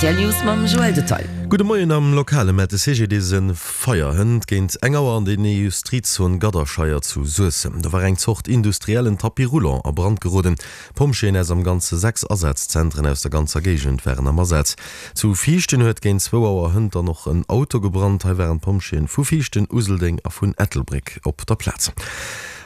Rtl News mam Joël Detail. Gudde Moien, Am Lokale mellt de CGDIS e Feier hënt géint eng Auer an der Industriezon Gadderscheier zu Suessem. Do war eng Zort industriellen Tapis roulant a Brand geroden. Pompjeeën aus am Ganze 6 Asazentren aus der ganzer Géigend waren am Asaz. Zu Viichten huet géint zwou Auer hënt dann och en Auto gebrannt. Hei waren d'Pompjeeën vu Viichten, Useldeng a vun Ettelbréck op der Plaz.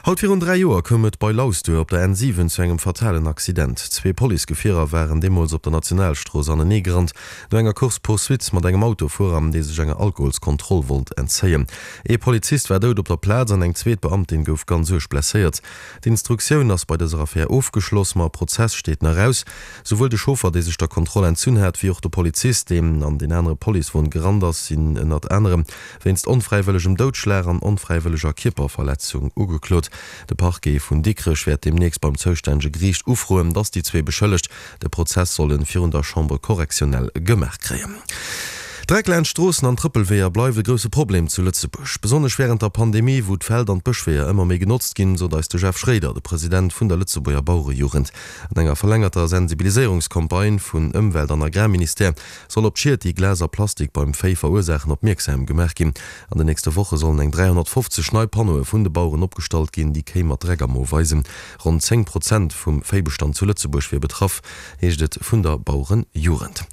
Haut virun 3 Joer koum et bei Lausduer op der N7 zu engem fatalen Accident. Zwee Policegefierer waren deemools op der Nationalstrooss anenee gerannt, no enger Course-poursuite mat engem Autofuerer, dee sech enger Alkoholskontroll wollt entzéien. Ee Polizist war dout op der Plaz an eng zweet Beamtin gouf ganz uerg blesséiert. D'Instruktioun ass bei dëser Affär ofgeschloss, ma e Prozess steet nach aus. Souwuel de Chauffer, dee sech der Kontroll entzunn hat, wéi och de Polizist, deen an deen anere Policewon gerannt ass, sinn ënnert anerem wéinst onfräiwëllegem Doudschlag an onfräiwëlleger Kierperverletzung ugeklot. De Parquet vun Dikrech wäert deemnächst beim zoustännege Geriicht ufroen, datt déi zwee Beschëllegt De Prozess soll en virun der Chambre correctionnelle gemaach kréien. Dreck laanscht Stroossen an Trëppelweeër bleift e grousse Problem zu Lëtzebuerg. Besonnesch wärend der Pandemie, wou d'Feld an d'Bëschweeër ëmmer méi genotzt ginn, sot eis de Jeff Schréider, de President vun der Lëtzebuerger Bauerejugend. An enger verlängerter Sensibiliséierungscampagne vun Ëmwelt an Agrarministère soll op d'Schied, déi Glas a Plastik beim Véi verursaachen, opmierksam gemaach ginn. An den nächste Woche sollen eng 350 nei Panneaue vun de Baueren opgestallt ginn, déi Kéi mat Dreck am Mo weisen. Ronn 10 Prozent vum Véibestand zu Lëtzebuerg wier betraff, heescht et vun der Bauerenjugend.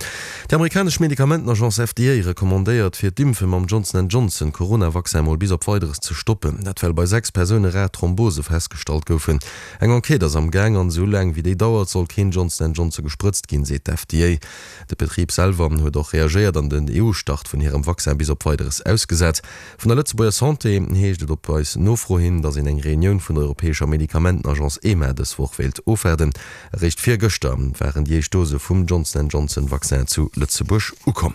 Déi amerikanesch Medikamentenagence FDA recommandéiert, fir d'Impfe mam Johnson and Johnson Corona-Vaccin mol bis op Weideres ze stoppen. Dat well bei 6 Persoune rar Thrombose festgestallt goufen. Eng Enquête ass am Gaang an esou laang wéi déi dauert, soll keen Johnson and Johnson gesprëtzt ginn, seet d'FDA. De Betrib selwer huet och reagéiert an den EU-Start vun hirem Vaccin bis op Weideres ausgesat. Vun der Lëtzebuerger Santé heescht et op eis Nofro hin, datt een eng Reunioun vun der europäescher Medikamentenagence EMA dës Woch wéilt ofwaarden. Eréischt virgëschter waren déi éischt Dose vum Johnson and Johnson Vaccin zu Lëtzebuerg ukomm.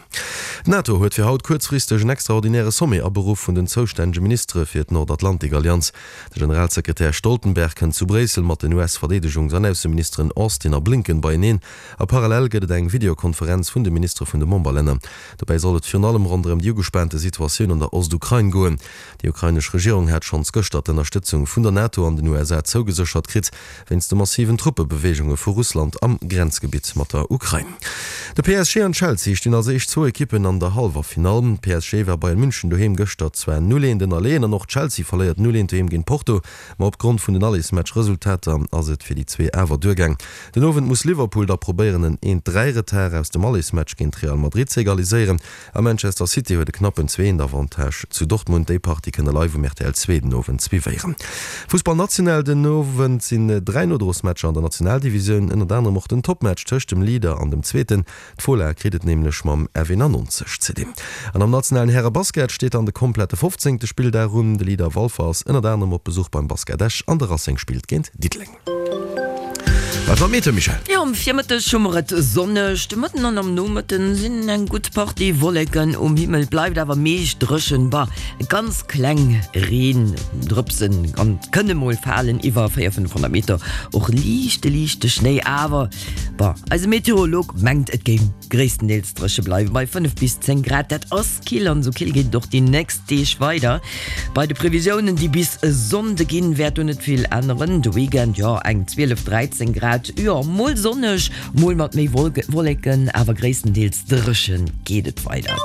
D'NATO huet fir haut kuerzfristeg en extraordinäre Sommet aberuff vun den zoustännege Ministere fir d'Nordatlantik-Allianz. De Generalsekretär Stoltenberg kënnt zu Bréissel mat den US-Verdeedegungs an Ausseministeren Austin a Blinken beieneen a parallel gëtt et eng Videokonferenz vun de Ministere vun de Memberlänner. Dobäi soll et virun allem ronderëm déi ugespaante Situatioun an der Ostukrain goen. Déi ukrainesch Regierung hat schonns gëschter d'Ënnerstëtzung vun der NATO an den USA zougeséchert kritt, wéinst de massiven Truppebeweegunge vu Russland am Grenzgebitt mat der Ukrain. De PSG an Chelsea stinn als éischt zwou Ekippen an der Hallwerfinall. PSG war Bayern München doheem gëschter zwar 0, 1 ënnerleeën an och Chelsea verléiert 0, 1 doheem géint Porto, ma opgrond vun den Allesmatch-Resultater ass et fir déi zwee awer duergaang. Den Owend muss Liverpool da probéieren en 1, 3 Retard aus dem Allesmatch géint Real Madrid ze egaliséieren a Manchester City huet e knappen 2, 1 Avantage zu Dortmund. Déi Partie kënnt der live um rtl 2 den Owend suivéieren. Fussball national, Den Owend sinn 3 Nodrosmatcher an der Nationaldivisioun, ënnert anerem och den Toppmatch tëscht dem Leader an dem Zweeten. D'Fola kritt et nämlech mam F91 ze dinn. An am nationalen Häre-Basket steet dann de komplette 15. Spilldag un. De Leader Walfer ass ënnert anerem op Besuch beim Basket Esch an de Racing spillt géint Diddeleng. Wat war d'Meteo, Michèle? Jo, am Virmëtteg hu mer et sonneg, de Mëtten an am Nomëtten sinn eng gutt Partie Wolleken um Himmel, bleift awer meescht dréchen. Bah, ganz kleng Reendrëpsen kënne mol falen iwwer 400, 500 Meter, och liichte, liichte Schnéi, awer bah, eise Meteorolog mengt et géing gréisstendeels dréche bleiwen bei 5 bis 10 Grad. Dat ass kill an esou kill geet et och déi nächst Deeg weider. Bei de Previsiounen, déi bis e Sonnde ginn, wäert do net vill änneren. De Weekend, jo eng 12, 13 Grad, jo mol sonneg, mol mat méi Wolleken, awer gréisstendeels dréchen geet et weider.